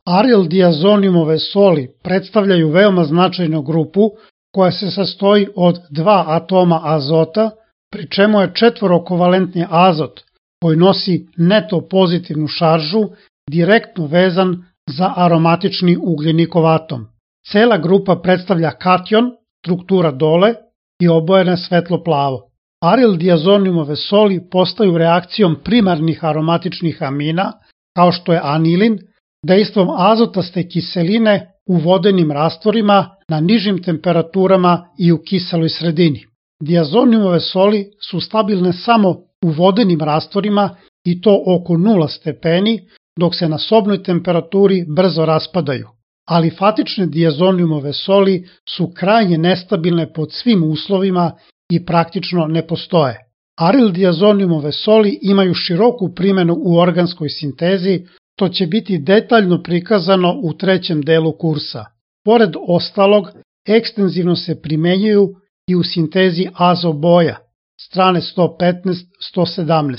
Arildiazonimove soli predstavljaju veoma značajnu grupu koja se sastoji od 2 atoma azota, pri čemu je četvorokovalentni azot, koji nosi neto pozitivnu šaržu, direktno vezan za aromatični ugljenikov atom. Cela grupa predstavlja kation, struktura dole i obojene svetlo plavo. Arildiazonimove soli postaju reakcijom primarnih aromatičnih amina, kao što je anilin, dejstvom azotaste kiseline u vodenim rastvorima na nižim temperaturama i u kiseloj sredini. Diazonimove soli su stabilne samo u vodenim rastvorima i to oko 0 stepeni, dok se na sobnoj temperaturi brzo raspadaju. Alifatične diazonimove soli su krajnje nestabilne pod svim uslovima i praktično ne postoje. Arildiazonimove soli imaju široku primjenu u organskoj sintezi, to će biti detaljno prikazano u 3. delu kursa. Pored ostalog, ekstenzivno se primenjuju i u sintezi azoboja, strane 115-117.